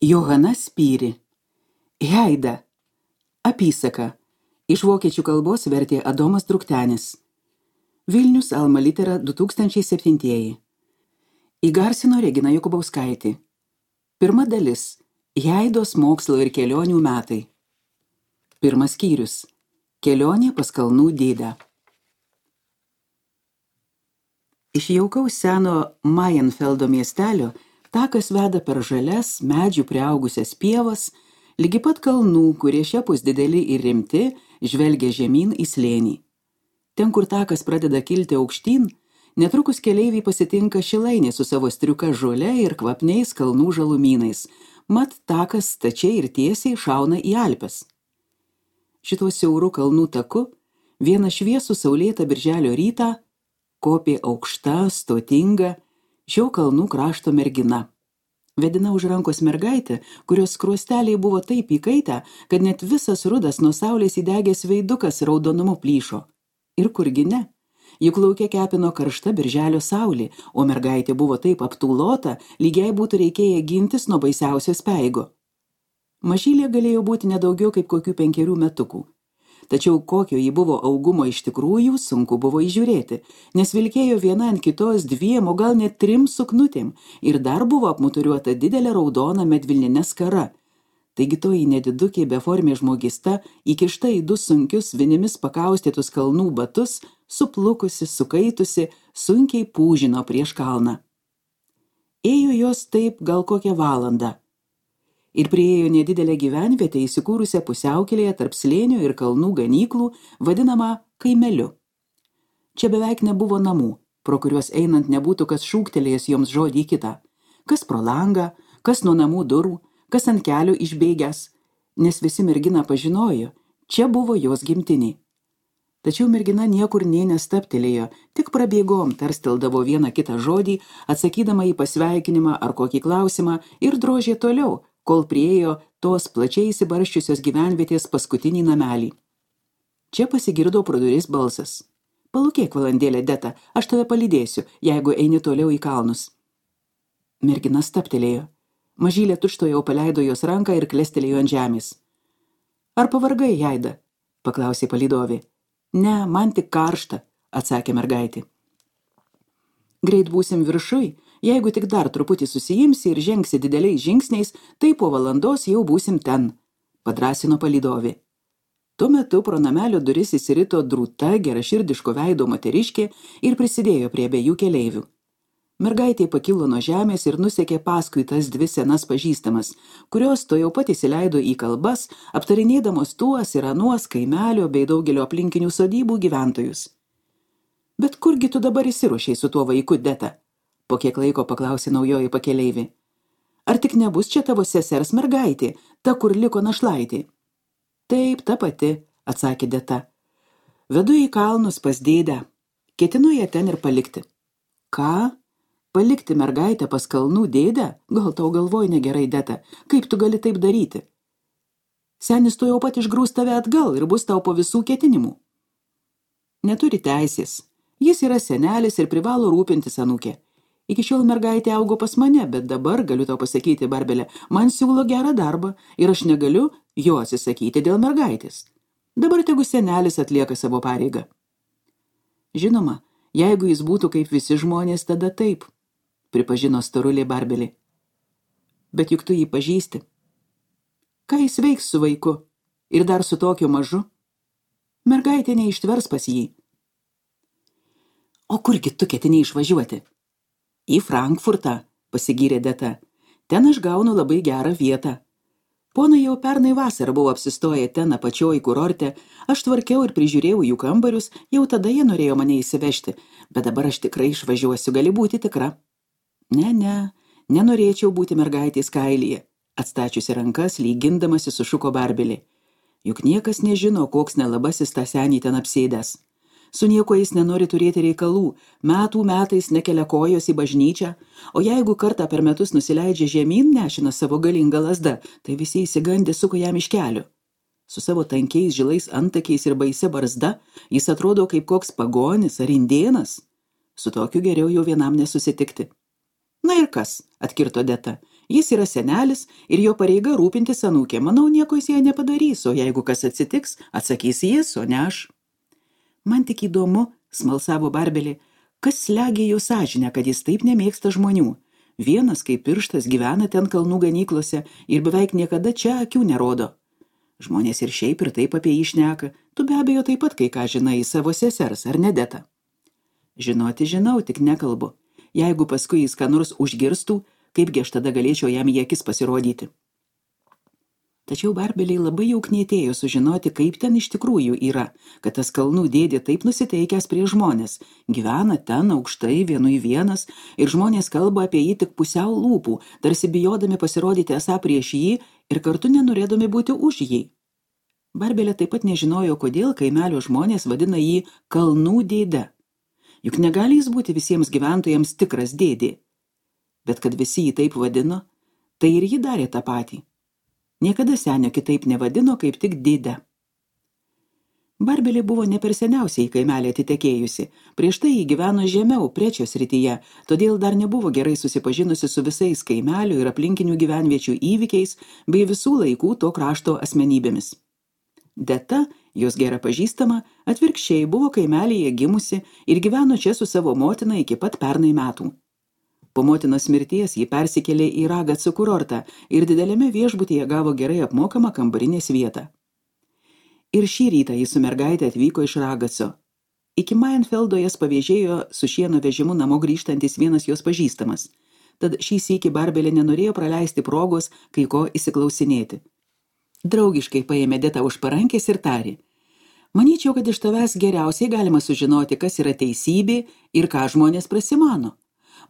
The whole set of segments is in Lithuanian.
Johana Spyri. Heida. Apysaka. Iš vokiečių kalbos vertė Adomas Druktenis. Vilnius Alma Litera 2007. Įgarsino Regina Jokubauskaitė. Pirma dalis. Heidos mokslo ir kelionių metai. Pirmas skyrius. Kelionė pas kalnų dėdę. Iš jaukaus seno Mayenfeldo miestelio takas veda per žalias, medžių priaugusias pievas, lygi pat kalnų, kurie šiapus dideli ir rimti, žvelgia žemyn į slėnį. Ten, kur takas pradeda kilti aukštyn, netrukus keleiviai pasitinka šilainė su savo striuka žole ir kvapniais kalnų žalumynais, mat takas stačiai ir tiesiai šauna į Alpes. Šituo siauru kalnų taku vieną šviesų saulėtą birželio rytą kopė aukšta, stotinga šio kalnų krašto mergina. Vedina už rankos mergaitė, kurios skruosteliai buvo taip įkaitę, kad net visas rudas nuo saulės įdegęs veidukas raudonumu plyšo. Ir kurgi ne? Juk lauke kepino karšta birželio saulė, o mergaitė buvo taip aptūlota, lygiai būtų reikėję gintis nuo baisiausio speigo. Mažylė galėjo būti nedaugiau kaip kokių 5 metukų. Tačiau kokio ji buvo augumo iš tikrųjų, sunku buvo įžiūrėti, nes vilkėjo viena ant kitos 2, o gal net 3 suknutėm ir dar buvo apmuturiuota didelė raudona medvilninė skara. Taigi toji nedidukė beformė žmogista, įkišta į 2 sunkius vinimis pakaustytus kalnų batus, suplukusi, sukaitusi, sunkiai pūžino prieš kalną. Ėjo jos taip gal kokią valandą. Ir priėjo nedidelę gyvenvietę įsikūrusią pusiaukelėje tarp slėnio ir kalnų ganyklų, vadinamą kaimeliu. Čia beveik nebuvo namų, pro kuriuos einant nebūtų kas šūktelėjęs joms žodį kitą. Kas pro langą, kas nuo namų durų, kas ant kelio išbėgęs, nes visi merginą pažinojo, čia buvo jos gimtiniai. Tačiau mergina niekur nė nestaptelėjo, tik prabėgom tarsteldavo vieną kitą žodį, atsakydama į pasveikinimą ar kokį klausimą ir drožė toliau, kol priėjo tos plačiai įsibarščiusios gyvenvietės paskutinį namelį. Čia pasigirdo pro duris balsas. Palūkėk valandėlę, Deta, aš tave palydėsiu, jeigu eini toliau į kalnus. Mergina staptelėjo. Mažylė tučtuojau paleido jos ranką ir klestelėjo ant žemės. Ar pavargai, Heida? Paklausė palydovė. Ne, man tik karšta, atsakė mergaitė. Greit būsim viršuj, jeigu tik dar truputį susijimsi ir žengsi dideliais žingsniais, tai po valandos jau būsim ten, padrąsino palydovė. Tuo metu pro namelio duris įsirito drūta, geraširdiško veido moteriškė ir prisidėjo prie abiejų keleivių. Mergaitė pakilo nuo žemės ir nusekė paskui tas 2 senas pažįstamas, kurios to jau pat įsileido į kalbas, aptarinėdamos tuos ir anuos kaimelio bei daugelio aplinkinių sodybų gyventojus. Bet kurgi tu dabar įsiruošiai su tuo vaiku, Deta? Po kiek laiko paklausė naujoji pakeleivė. Ar tik nebus čia tavo sesers mergaitė, ta, kur liko našlaitė? Taip, ta pati, atsakė Deta. Vedu į kalnus pas dėdę. Ketinu ją ten ir palikti. Ką? Palikti mergaitę pas kalnų dėdę? Gal tau galvoj negerai, Deta, kaip tu gali taip daryti? Senis tu jau pat išgrūs tave atgal ir bus tau po visų ketinimų. Neturi teisės. Jis yra senelis ir privalo rūpintis anūkė. Iki šiol mergaitė augo pas mane, bet dabar, galiu tau pasakyti, Barbelė, man siūlo gerą darbą ir aš negaliu jo atsisakyti dėl mergaitės. Dabar tegu senelis atlieka savo pareigą. Žinoma, jeigu jis būtų kaip visi žmonės, tada taip, pripažino storulė Barbelė. Bet juk tu jį pažįsti. Ką jis veiks su vaiku? Ir dar su tokiu mažu? Mergaitė neištvers pas jį. O kurgi tu ketini išvažiuoti? Į Frankfurtą, pasigyrė Deta. Ten aš gaunu labai gerą vietą. Ponai jau pernai vasarą buvo apsistoję ten apačioj kurorte, aš tvarkiau ir prižiūrėjau jų kambarius, jau tada jie norėjo mane įsivežti, bet dabar aš tikrai išvažiuosiu, gali būti tikra. Ne, nenorėčiau būti mergaitės kailyje, atstačiusi rankas, lygindamasi sušuko Barbelė. Juk niekas nežino, koks nelabasis tą senį ten apsėdęs. Su nieko jis nenori turėti reikalų, metų metais nekelia kojos į bažnyčią, o jeigu kartą per metus nusileidžia žemyn nešina savo galingą lazdą, tai visi įsigandę suko jam iš kelio. Su savo tankiais žilais antakiais ir baisia barzda jis atrodo kaip koks pagonis ar indėnas. Su tokiu geriau jau vienam nesusitikti. Na ir kas, atkirto Deta, Jis yra senelis ir jo pareiga rūpintis anūkė. Manau, nieko jis jai nepadarys, o jeigu kas atsitiks, atsakys jis, o ne aš. Man tik įdomu, smalsavo Barbelė, kas slegia jo sąžinę, kad jis taip nemėgsta žmonių. Vienas kaip pirštas gyvena ten kalnų ganyklose ir beveik niekada čia akių nerodo. Žmonės ir šiaip ir taip apie jį šneka. Tu be abejo taip pat kai ką žinai savo sesers, ar ne, Deta? Žinoti žinau, tik nekalbu. Jeigu paskui jis ką nors užgirstų, kaipgi aš tada galėčiau jam į akis pasirodyti. Tačiau Barbelei labai jau knietėjo sužinoti, kaip ten iš tikrųjų yra, kad tas kalnų dėdė taip nusiteikęs prie žmonės, gyvena ten aukštai vienui vienas ir žmonės kalba apie jį tik pusiau lūpų, tarsi bijodami pasirodyti esą prieš jį ir kartu nenorėdami būti už jį. Barbelė taip pat nežinojo, kodėl kaimelio žmonės vadina jį kalnų dėde. Juk negali jis būti visiems gyventojams tikras dėdė. Bet kad visi jį taip vadino, tai ir ji darė tą patį. Niekada senio kitaip nevadino kaip tik dėde. Barbelė buvo ne per seniausiai į kaimelį atitekėjusi. Prieš tai jį gyveno žemiau, Prečio srityje, todėl dar nebuvo gerai susipažinusi su visais kaimelio ir aplinkinių gyvenviečių įvykiais bei visų laikų to krašto asmenybėmis. Deta, jos gera pažįstama, atvirkščiai buvo kaimelyje gimusi ir gyveno čia su savo motina iki pat pernai metų. Po motinos mirties ji persikėlė į Ragaco kurortą ir dideliame viešbutyje gavo gerai apmokamą kambarinės vietą. Ir šį rytą jis su mergaitė atvyko iš Ragaco. Iki Mainfeldo jas pavėžėjo su šieno vežimu namo grįžtantis vienas jos pažįstamas. Tad šį sykį Barbelė nenorėjo praleisti progos kai ko įsiklausinėti. Draugiškai paėmė Detą už parankės ir tarė: Manyčiau, kad iš tavęs geriausiai galima sužinoti, kas yra teisybė ir ką žmonės prasimano.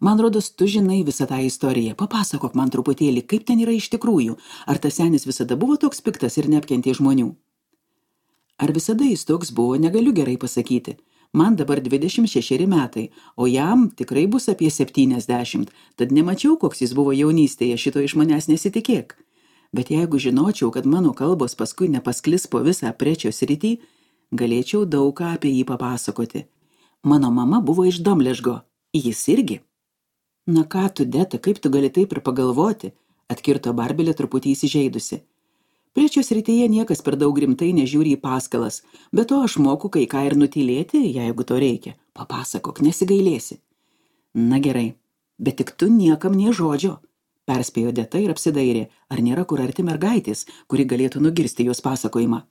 Man rodos, tu žinai visą tą istoriją. Papasakok man truputėlį, kaip ten yra iš tikrųjų. Ar tas senis visada buvo toks piktas ir neapkentė žmonių? Ar visada jis toks buvo, negaliu gerai pasakyti. Man dabar 26 metai, o jam tikrai bus apie 70, tad nemačiau, koks jis buvo jaunystėje, šito iš manęs nesitikėk. Bet jeigu žinočiau, kad mano kalbos paskui nepasklis po visą Prečio sritį, galėčiau daug ką apie jį papasakoti. Mano mama buvo iš Domležgo, jis irgi. Na ką tu, Deta, kaip tu gali taip ir pagalvoti, atkirto Barbelė truputį įsižeidusi. Prečio srityje niekas per daug rimtai nežiūri į paskalas, bet to aš moku kai ką ir nutylėti, jeigu to reikia. Papasakok, nesigailėsi. Na gerai, bet tik tu niekam nė žodžio, perspėjo Deta ir apsidairė, ar nėra kur arti mergaitės, kuri galėtų nugirsti jos pasakojimą.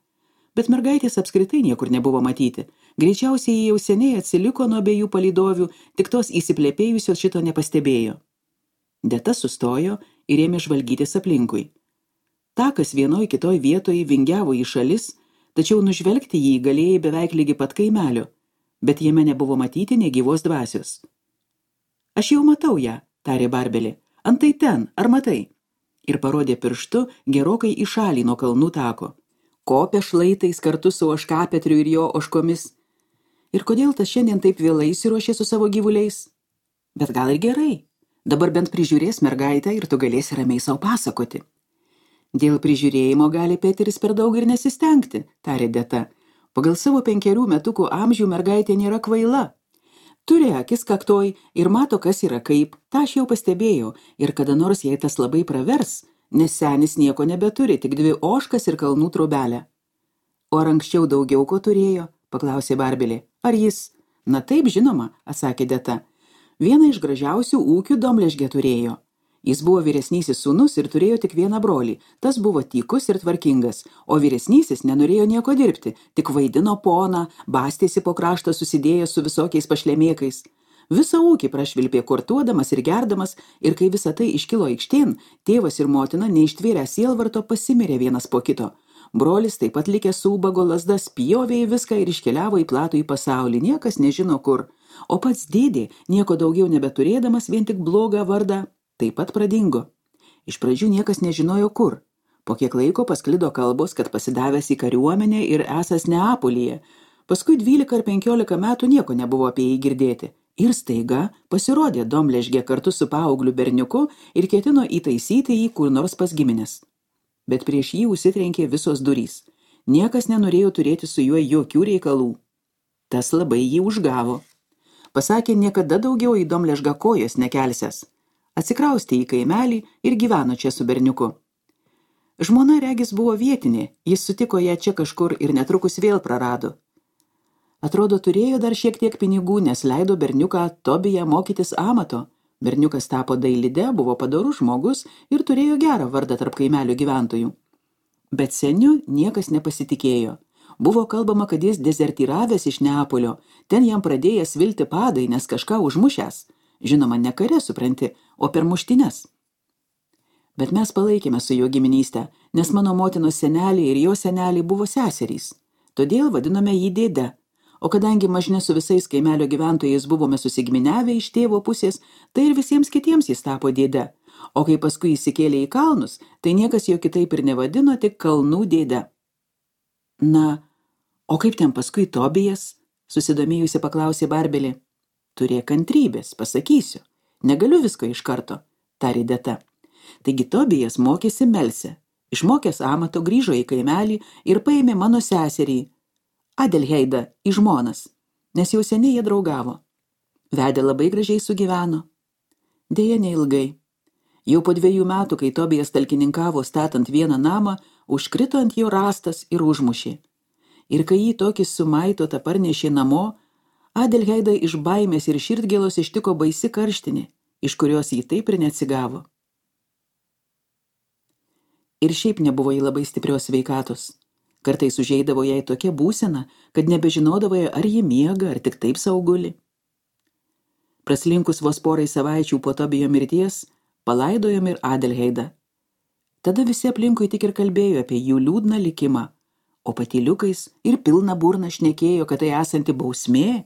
Bet mergaitės apskritai niekur nebuvo matyti. Greičiausiai jie jau seniai atsiliko nuo abiejų palydovių, tik tos įsiplėpėjusios šito nepastebėjo. Deta sustojo ir ėmė žvalgytis aplinkui. Takas vienoj kitoj vietoje vingiavo į šalis, tačiau nužvelgti jį galėjai beveik lygi pat kaimelio, bet jame nebuvo matyti nė gyvos dvasios. Aš jau matau ją, tarė Barbelė. Antai ten, ar matai? Ir parodė pirštu gerokai į šalį nuo kalnų tako. Kopė šlaitais kartu su ožkapetriu ir jo ožkomis. Ir kodėl tas šiandien taip vėlai įsiruošė su savo gyvuliais? Bet gal ir gerai. Dabar bent prižiūrės mergaitę ir tu galėsi ramiai savo pasakoti. Dėl prižiūrėjimo gali Peteris per daug ir nesistengti, tarė Deta. Pagal savo 5 metukų amžių mergaitė nėra kvaila. Turi akis kaktoj ir mato, kas yra kaip. Ta aš jau pastebėjau ir kada nors jai tas labai pravers, nes senis nieko nebeturi, tik 2 ožkas ir kalnų trobelę. O ar anksčiau daugiau ko turėjo? Paklausė Barbelė. Ar jis? Na taip, žinoma, atsakė Deta. Vieną iš gražiausių ūkių Domležge turėjo. Jis buvo vyresnysis sūnus ir turėjo tik vieną brolį. Tas buvo tykus ir tvarkingas, o vyresnysis nenorėjo nieko dirbti, tik vaidino poną, bastėsi po kraštą susidėjęs su visokiais pašlemėkais. Visą ūkį prašvilpė kortuodamas ir gerdamas, ir kai visa tai iškilo aikštėn, tėvas ir motina neištvėrę sielvarto pasimirė vienas po kito. Brolis taip pat likęs su ubago lazda spjovė į viską ir iškeliavo į platų į pasaulį, niekas nežino kur. O pats dėdė, nieko daugiau nebeturėdamas, vien tik blogą vardą, taip pat pradingo. Iš pradžių niekas nežinojo kur. Po kiek laiko pasklido kalbos, kad pasidavęs į kariuomenę ir esąs Neapolyje. Paskui 12 ar 15 metų nieko nebuvo apie jį girdėti. Ir staiga pasirodė Domležge kartu su paaugliu berniuku ir ketino įtaisyti jį kur nors pas giminės. Bet prieš jį užsitrenkė visos durys. Niekas nenorėjo turėti su juo jokių reikalų. Tas labai jį užgavo. Pasakė, niekada daugiau į Domležgą kojos nekelsęs. Atsikraustė į kaimelį ir gyveno čia su berniuku. Žmona regis buvo vietinė, jis sutiko ją čia kažkur ir netrukus vėl prarado. Atrodo, turėjo dar šiek tiek pinigų, nes leido berniuką Tobiją mokytis amato. Berniukas tapo dailide, buvo padorus žmogus ir turėjo gerą vardą tarp kaimelio gyventojų. Bet seniu niekas nepasitikėjo. Buvo kalbama, kad jis dezertyravęs iš Neapolio, ten jam pradėjęs vilti padai, nes kažką užmušęs. Žinoma, ne kare, supranti, o per muštines. Bet mes palaikėme su jo giminystę, nes mano motinos seneliai ir jo seneliai buvo seserys. Todėl vadinome jį dėde. O kadangi mažne su visais kaimelio gyventojais buvome susigiminiavę iš tėvo pusės, tai ir visiems kitiems jis tapo dėde. O kai paskui įsikėlė į kalnus, tai niekas jo kitaip ir nevadino, tik kalnų dėde. Na, o kaip ten paskui Tobijas? Susidomėjusi paklausė Barbelė. Turėk kantrybės, pasakysiu. Negaliu visko iš karto, tarė Deta. Taigi Tobijas mokėsi melsę. Išmokęs amato grįžo į kaimelį ir paėmė mano seserį, Adelheidą, į žmonas, nes jau seniai jie draugavo. Vedė labai gražiai sugyveno. Deja, neilgai. Jau po 2 metų, kai Tobijas talkininkavo statant vieną namą, užkrito ant jo rastas ir užmušė. Ir kai jį tokį sumaitotą parnešė namo, Adelheidą iš baimės ir širdgėlos ištiko baisi karštinė, iš kurios jį taip ir neatsigavo. Ir šiaip nebuvo jį labai stiprios sveikatos. Kartais užeidavo jai tokia būsena, kad nebežinodavo, ar ji miega, ar tik taip sauguli. Praslinkus vos porai savaičių po Tobijo mirties, palaidojom ir Adelheidą. Tada visi aplinkui tik ir kalbėjo apie jų liūdną likimą, o patyliukais ir pilna burna šnekėjo, kad tai esanti bausmė,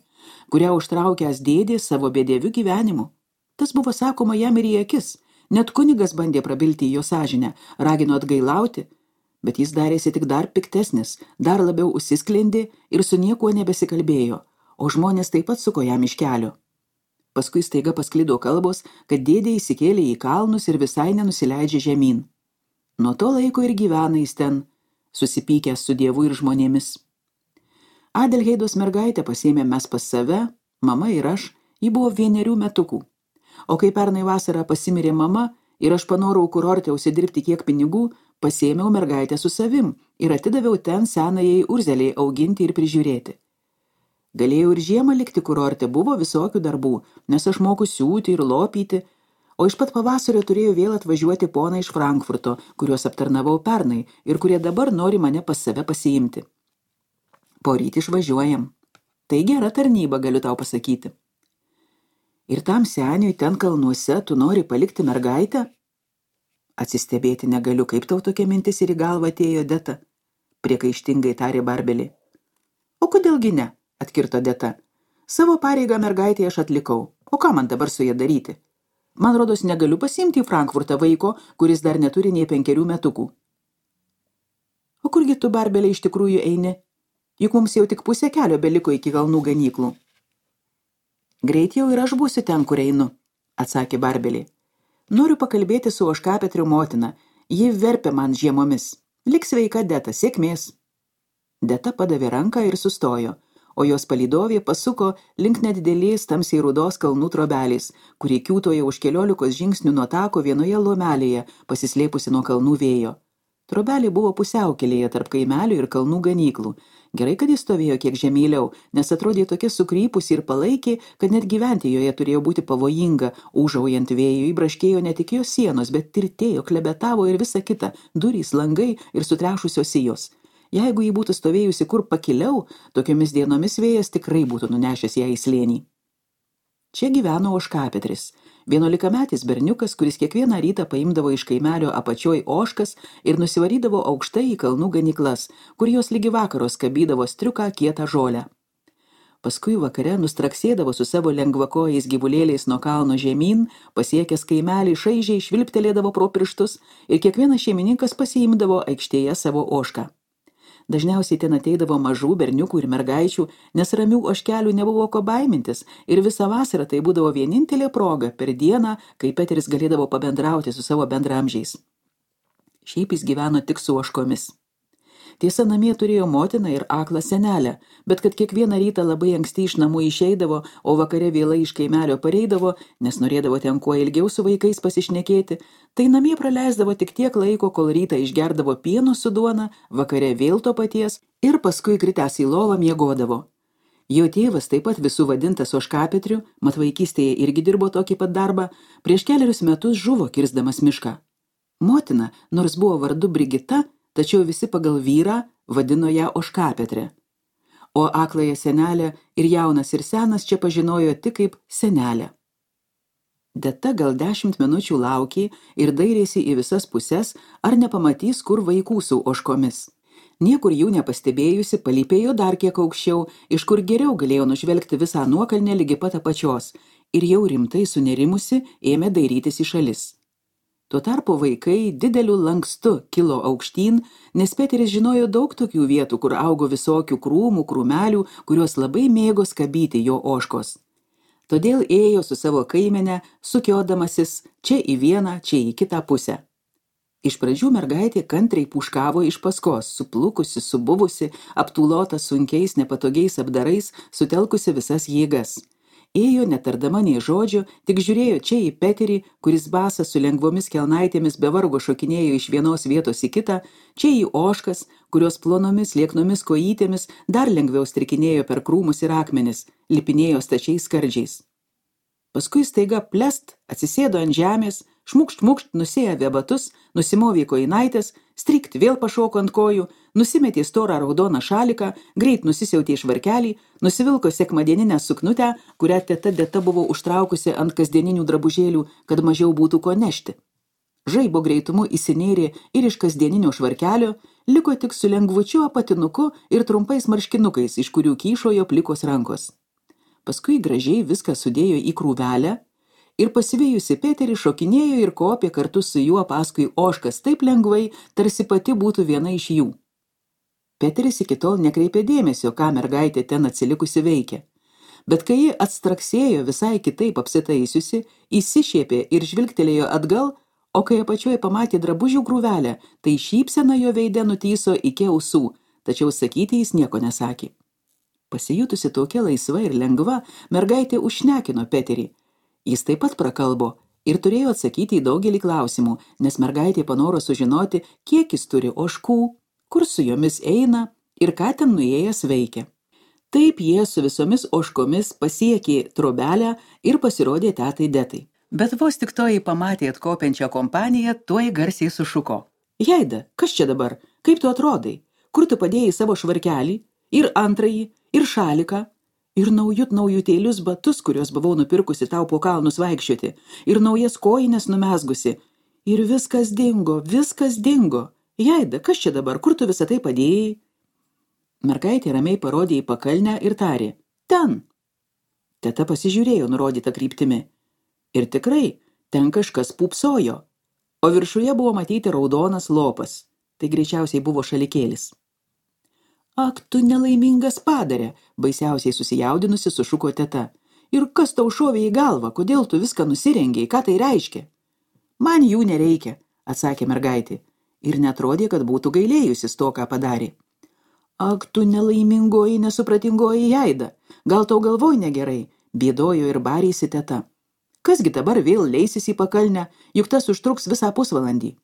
kurią užtraukęs dėdė savo bedieviu gyvenimu. Tas buvo sakoma jam ir į akis, net kunigas bandė prabilti į jo sąžinę, ragino atgailauti, bet jis darėsi tik dar piktesnis, dar labiau užsisklendė ir su niekuo nebesikalbėjo, o žmonės taip pat suko jam iš kelio. Paskui staiga pasklido kalbos, kad dėdė įsikėlė į kalnus ir visai nenusileidžia žemyn. Nuo to laiko ir gyvena jis ten, susipykęs su Dievu ir žmonėmis. Adelheidos mergaitę pasėmė mes pas save, mama ir aš, ji buvo 1 metukų. O kai pernai vasarą pasimirė mama ir aš panorau kurorte užsidirbti kiek pinigų, pasėmiau mergaitę su savim ir atidaviau ten senajai Urzeliai auginti ir prižiūrėti. Galėjau ir žiemą likti kurorte, buvo visokių darbų, nes aš moku siūti ir lopyti, o iš pat pavasario turėjau vėl atvažiuoti poną iš Frankfurto, kuriuos aptarnavau pernai ir kurie dabar nori mane pas save pasiimti. Poryt išvažiuojam. Tai gera tarnyba, galiu tau pasakyti. Ir tam seniui ten kalnuose tu nori palikti mergaitę? Atsistebėti negaliu, kaip tau tokia mintis ir į galvą atėjo Deta, priekaištingai tarė Barbelė. O kodėlgi ne, atkirto Deta. Savo pareigą mergaitėje aš atlikau, o ką man dabar su ja daryti? Man rodos negaliu pasiimti į Frankfurtą vaiko, kuris dar neturi nei 5 metukų. O kurgi tu, Barbelė, iš tikrųjų eini? Juk mums jau tik pusė kelio beliko iki kalnų ganyklų. Greit jau ir aš būsiu ten, kur einu, atsakė Barbelė. Noriu pakalbėti su Ožkapetriu motina, ji verpia man žiemomis. Lik sveika, Deta, sėkmės. Deta padavė ranką ir sustojo, o jos palydovė pasuko link nedidelės tamsiai rudos kalnų trobelės, kuri kiūtojo už 15 žingsnių nuo tako vienoje lomelėje, pasislėpusi nuo kalnų vėjo. Trobelė buvo pusiaukelėje tarp kaimelio ir kalnų ganyklų. Gerai, kad jis stovėjo kiek žemyliau, nes atrodė tokia sukrypusi ir palaikė, kad net gyventi joje turėjo būti pavojinga, ūžaujant vėjui, įbraškėjo ne tik jos sienos, bet tirtėjo, klebetavo ir visa kita, durys, langai ir sutrešusios sijos. Jeigu ji būtų stovėjusi kur pakiliau, tokiomis dienomis vėjas tikrai būtų nunešęs ją į slėnį. Čia gyveno Ožkapetris, 11-metis berniukas, kuris kiekvieną rytą paimdavo iš kaimelio apačioj ožkas ir nusivarydavo aukštai į kalnų ganyklas, kur jos lygi vakaro skabydavo striuką kietą žolę. Paskui vakare nustraksėdavo su savo lengvakojais gyvulėliais nuo kalno žemyn, pasiekęs kaimelį šaižiai švilptelėdavo pro pirštus ir kiekvienas šeimininkas pasiimdavo aikštėje savo ožką. Dažniausiai ten ateidavo mažų berniukų ir mergaičių, nes ramių ožkelių nebuvo ko baimintis ir visą vasarą tai būdavo vienintelė proga per dieną, kai Peteris galėdavo pabendrauti su savo bendramžiais. Šiaip jis gyveno tik su ožkomis. Tiesa, namie turėjo motiną ir aklą senelę, bet kad kiekvieną rytą labai anksti iš namų išeidavo, o vakare vėlai iš kaimelio pareidavo, nes norėdavo ten kuo ilgiau su vaikais pasišnekėti, tai namie praleisdavo tik tiek laiko, kol rytą išgerdavo pieno su duona, vakare vėl to paties ir paskui kritęs į lovą miegodavo. Jo tėvas, taip pat visų vadintas Ožkapetriu, mat vaikystėje irgi dirbo tokį pat darbą, prieš 4 metus žuvo kirsdamas mišką. Motina, nors buvo vardu Brigita, tačiau visi pagal vyrą vadino ją Ožkapetre. O akląją senelę ir jaunas ir senas čia pažinojo tik kaip senelę. Deta gal 10 minučių laukė ir dairėsi į visas puses, ar nepamatys, kur vaikų su ožkomis. Niekur jų nepastebėjusi, palypėjo dar kiek aukščiau, iš kur geriau galėjo nužvelgti visą nuokalnę ligi pat apačios, ir jau rimtai sunerimusi ėmė dairytis į šalis. Tuo tarpu vaikai dideliu lankstu kilo aukštyn, nes Peteris žinojo daug tokių vietų, kur augo visokių krūmų, krūmelių, kuriuos labai mėgo skabyti jo ožkos. Todėl ėjo su savo kaimene, sukiodamasis čia į vieną, čia į kitą pusę. Iš pradžių mergaitė kantriai puškavo iš paskos, suplukusi, subuvusi, aptūlota sunkiais, nepatogiais apdarais, sutelkusi visas jėgas. Ėjo netardama nei žodžio, tik žiūrėjo čia į Peterį, kuris basas su lengvomis kelnaitėmis be vargo šokinėjo iš vienos vietos į kitą, čia į ožkas, kurios plonomis, lieknomis kojytėmis dar lengviau strikinėjo per krūmus ir akmenis, lipinėjo stačiais skardžiais. Paskui staiga plest, atsisėdo ant žemės, šmukšt, nusiavė batus, nusimovė kojinaitės, strikt vėl pašoko ant kojų, nusimetė storą raudoną šaliką, greit nusisiautė švarkelį, nusivilko sekmadieninę suknutę, kurią teta Deta buvo užtraukusi ant kasdieninių drabužėlių, kad mažiau būtų ko nešti. Žaibo greitumu įsinėrė ir iš kasdieninio švarkelio, liko tik su lengvučiu apatinuku ir trumpais marškinukais, iš kurių kyšojo plikos rankos. Paskui gražiai viską sudėjo į krūvelę ir pasivėjusi Peterį šokinėjo ir kopė kartu su juo paskui ožkas taip lengvai, tarsi pati būtų viena iš jų. Peteris iki tol nekreipė dėmesio, ką mergaitė ten atsilikusi veikia. Bet kai ji atstraksėjo visai kitaip apsitaisiusi, įsišiepė ir žvilgtelėjo atgal, o kai apačioje pamatė drabužių krūvelę, tai šypsena jo veide nutyso iki ausų, tačiau sakyti jis nieko nesakė. Pasijutusi tokia laisva ir lengva, mergaitė užšnekino Peterį. Jis taip pat prakalbo ir turėjo atsakyti į daugelį klausimų, nes mergaitė panoro sužinoti, kiek jis turi ožkų, kur su jomis eina ir ką ten nuėjęs veikia. Taip jie su visomis ožkomis pasiekė trobelę ir pasirodė tetai Detai. Bet vos tik toji pamatė atkopiančią kompaniją, tuoj garsiai sušuko. Jaida, kas čia dabar? Kaip tu atrodai? Kur tu padėjai savo švarkelį? Ir antrąjį, ir šaliką, ir naujutėlius batus, kuriuos buvau nupirkusi tau po kalnus vaikščioti, ir naujas kojines numezgusi. Ir viskas dingo. Jaida, kas čia dabar? Kur tu visą tai padėjai? Mergaitė ramiai parodė į pakalnę ir tarė. Ten. Teta pasižiūrėjo nurodytą kryptimi. Ir tikrai, ten kažkas pūpsojo, o viršuje buvo matyti raudonas lopas. Tai greičiausiai buvo šalikėlis. Ak, tu nelaimingas padarė, baisiausiai susijaudinusi sušuko teta. Ir kas tau šovė į galvą, kodėl tu viską nusirengiai, ką tai reiškia? Man jų nereikia, atsakė mergaitė, ir netrodė, kad būtų gailėjusis to, ką padarė. Ak, tu nelaimingoji, nesupratingoji Jaida, gal tau galvoj negerai, bėdojo ir barėsi teta. Kasgi dabar vėl leisis į pakalnę, juk tas užtruks visą pusvalandį.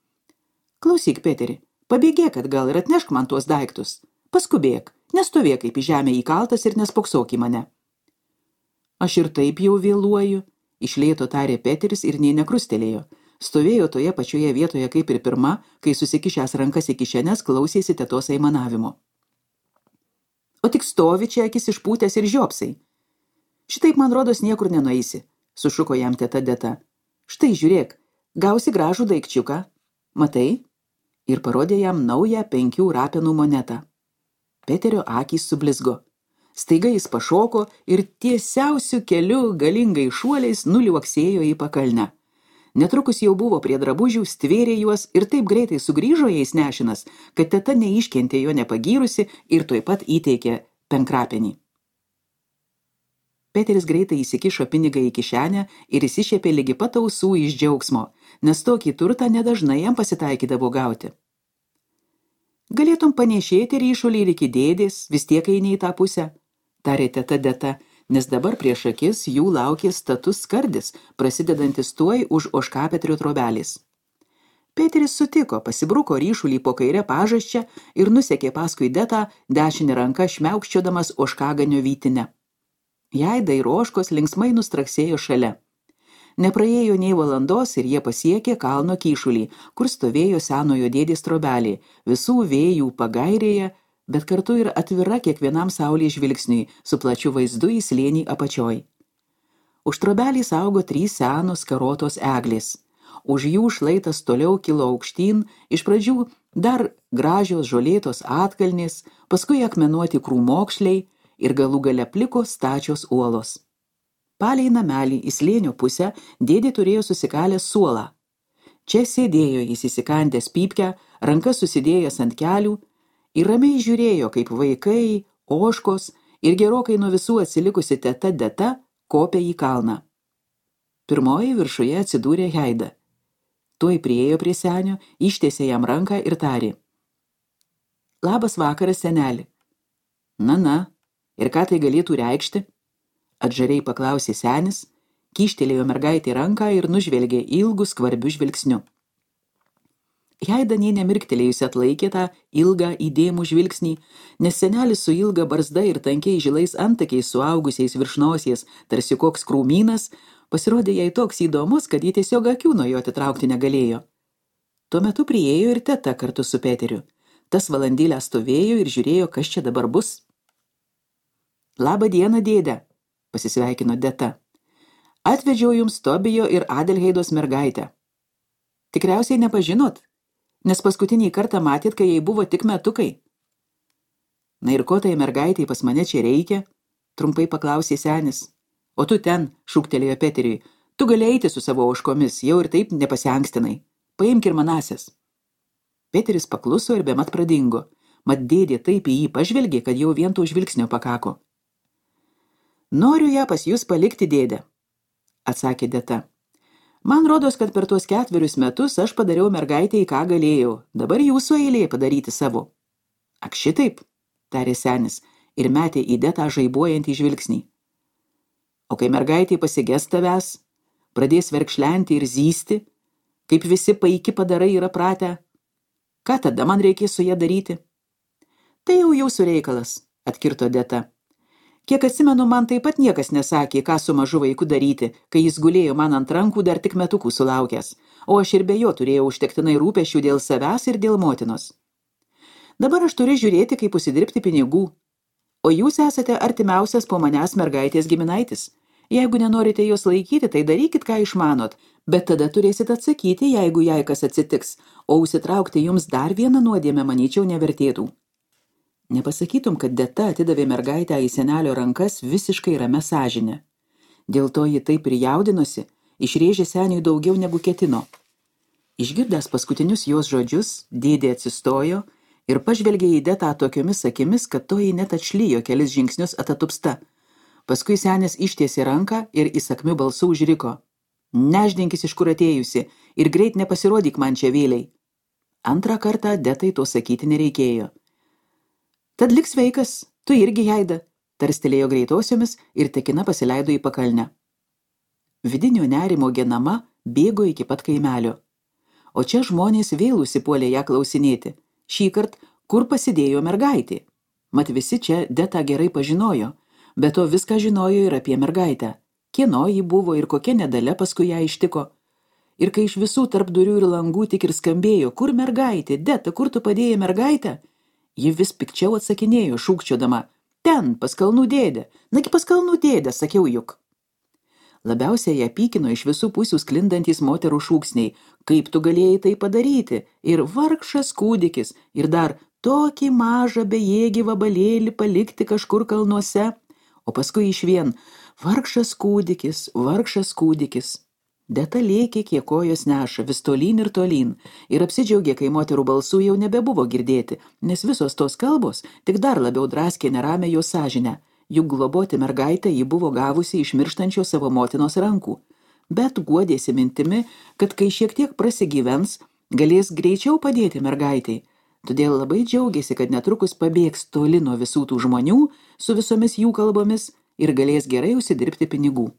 Klausyk, Peteri, pabėgėk atgal ir atnešk man tuos daiktus. Paskubėk, nestovėk kaip į žemę įkaltas ir nespoksok į mane. Aš ir taip jau vėluoju, iš lėto tarė Peteris ir nė nekrustelėjo. Stovėjo toje pačioje vietoje kaip ir pirma, kai susikišęs rankas į kišenes klausėsi tetos aimanavimo. O tik stovi čia akis išpūtęs ir žiopsai. Šitaip, man rodos, niekur nenueisi, sušuko jam teta Deta. Štai žiūrėk, gausi gražų daikčiuką. Matai? Ir parodė jam naują 5 rapenų monetą. Peterio akys sublizgo. Staiga jis pašoko ir tiesiausiu keliu galingai šuoliais nuliuoksėjo į pakalnę. Netrukus jau buvo prie drabužių, stvėrė juos ir taip greitai sugrįžo jais nešinas, kad teta neiškentė jo nepagyrusi ir tuoj pat įteikė 5 rapenį. Peteris greitai įsikišo pinigą į kišenę ir įsišiepė lygi pat ausų iš džiaugsmo, nes tokį turtą nedažnai jam pasitaikydavo gauti. Galėtum panešėti ryšulį ir iki dėdės, vis tiek eini į tą pusę, tarė teta Deta, nes dabar prieš akis jų laukė status skardis, prasidedantis tuoj už ožkapetrio trobelės. Peteris sutiko, pasibruko ryšulį po kairę pažasčią ir nusekė paskui Detą dešinę ranką šmiaukščiodamas ožkaganio vytinę. Jaida ir ožkos linksmai nustraksėjo šalia. Nepraėjo nei valandos ir jie pasiekė kalno kyšulį, kur stovėjo senojo dėdės trobelė, visų vėjų pagairėje, bet kartu ir atvira kiekvienam saulės žvilgsniui, su plačiu vaizdu į slėnį apačioj. Už trobelės augo 3 senos karotos eglės. Už jų šlaitas toliau kilo aukštyn, iš pradžių dar gražios žolėtos atkalnės, paskui akmenuoti krūmokšliai ir galų gale pliko stačios uolos. Palei namelį į slėnio pusę dėdė turėjo susikalęs suolą. Čia sėdėjo jis įsikandęs pypkę, rankas susidėjęs ant kelių ir ramiai žiūrėjo, kaip vaikai, ožkos ir gerokai nuo visų atsilikusi teta Deta kopė į kalną. Pirmoji viršuje atsidūrė Jaida. Tuoj priėjo prie senio, ištiesė jam ranką ir tarė: Labas vakaras, seneli. Na, ir ką tai galėtų reikšti? Atžariai paklausė senis, kyštelėjo mergaitį ranką ir nužvelgė ilgu skvarbiu žvilgsniu. Jaida nė nemirktelėjusi atlaikė tą ilgą įdėmų žvilgsnį, nes senelis su ilga barzda ir tankiai žilais antakiais suaugusiais virš nosies, tarsi koks krūmynas, pasirodė jai toks įdomus, kad ji tiesiog akių nuo jo atitraukti negalėjo. Tuo metu priėjo ir teta kartu su Peteriu. Tas valandėlę stovėjo ir žiūrėjo, kas čia dabar bus. Labą dieną, dėde, pasisveikino Deta. Atvedžiau jums Tobijo ir Adelheidos mergaitę. Tikriausiai nepažinot, nes paskutinį kartą matėt, kai jai buvo tik metukai. Na ir ko tai mergaitai pas mane čia reikia? Trumpai paklausė senis. O tu ten, šūktelėjo Peteriui, tu gali eiti su savo ožkomis, jau ir taip nepasiankstinai. Paimk ir manasias. Peteris pakluso ir bemat pradingo. Mat dėdė taip į jį pažvelgė, kad jau vien to žvilgsnio pakako. Noriu ją pas jūs palikti, dėde, atsakė Deta. Man rodos, kad per tuos 4 metus aš padariau mergaitei, ką galėjau. Dabar jūsų eilė padaryti savo. Ak šitaip, tarė senis ir metė į Detą žaibuojantį žvilgsnį. O kai mergaitė pasiges tavęs, pradės verkšlenti ir zysti, kaip visi paiki padarai yra pratę, ką tada man reikės su ją daryti? Tai jau jūsų reikalas, atkirto Deta. Kiek atsimenu, man taip pat niekas nesakė, ką su mažu vaiku daryti, kai jis gulėjo man ant rankų dar tik metukų sulaukęs, o aš ir be jo turėjau užtektinai rūpesčių dėl savęs ir dėl motinos. Dabar aš turiu žiūrėti, kaip užsidirbti pinigų, o jūs esate artimiausias po manęs mergaitės giminaitis. Jeigu nenorite jos laikyti, tai darykit, ką išmanot, bet tada turėsit atsakyti, jeigu jai kas atsitiks, o užsitraukti jums dar vieną nuodėmę, manyčiau, nevertėtų. Nepasakytum, kad Deta atidavė mergaitę į senelio rankas visiškai ramia sąžine. Dėl to ji taip ir jaudinosi, išrėžė seniui daugiau negu ketino. Išgirdęs paskutinius jos žodžius, dėdė atsistojo ir pažvelgė į Detą tokiomis akimis, kad toji net atšlijo kelis žingsnius atatupsta. Paskui senis ištiesė ranką ir įsakmiu balsu užriko. Neždinkis, iš kur atėjusi, ir greit nepasirodyk man čia vėliai. Antrą kartą Detai to sakyti nereikėjo. Tad lik sveikas, tu irgi, Jaida, tarstelėjo greitosiomis ir tekina pasileido į pakalnę. Vidinio nerimo genama bėgo iki pat kaimelio. O čia žmonės vėl užsipuolė ją klausinėti. Šįkart, kur pasidėjo mergaitė? Mat visi čia Detą gerai pažinojo, bet to viską žinojo ir apie mergaitę. Kieno ji buvo ir kokia nedalia paskui ją ištiko. Ir kai iš visų tarp durių ir langų tik ir skambėjo, kur mergaitė, Deta, kur tu padėjai mergaitę? Ji vis pikčiau atsakinėjo, šūkčiodama, ten, pas kalnų dėdę, nagi pas kalnų dėdę, sakiau juk. Labiausiai ją pykino iš visų pusių sklindantys moterų šūksniai, kaip tu galėjai tai padaryti, ir vargšas kūdikis, ir dar tokį mažą bejėgį vabalėlį palikti kažkur kalnuose, o paskui išvien, vargšas kūdikis, vargšas kūdikis. Deta lėkė, kiek kojos neša, vis tolyn ir apsidžiaugė, kai moterų balsų jau nebebuvo girdėti, nes visos tos kalbos tik dar labiau draskė neramę jos sąžinę, juk globoti mergaitę ji buvo gavusi iš mirštančio savo motinos rankų, bet guodėsi mintimi, kad kai šiek tiek prasigyvens, galės greičiau padėti mergaitai, todėl labai džiaugiasi, kad netrukus pabėgs toli nuo visų tų žmonių su visomis jų kalbomis ir galės gerai užsidirbti pinigų.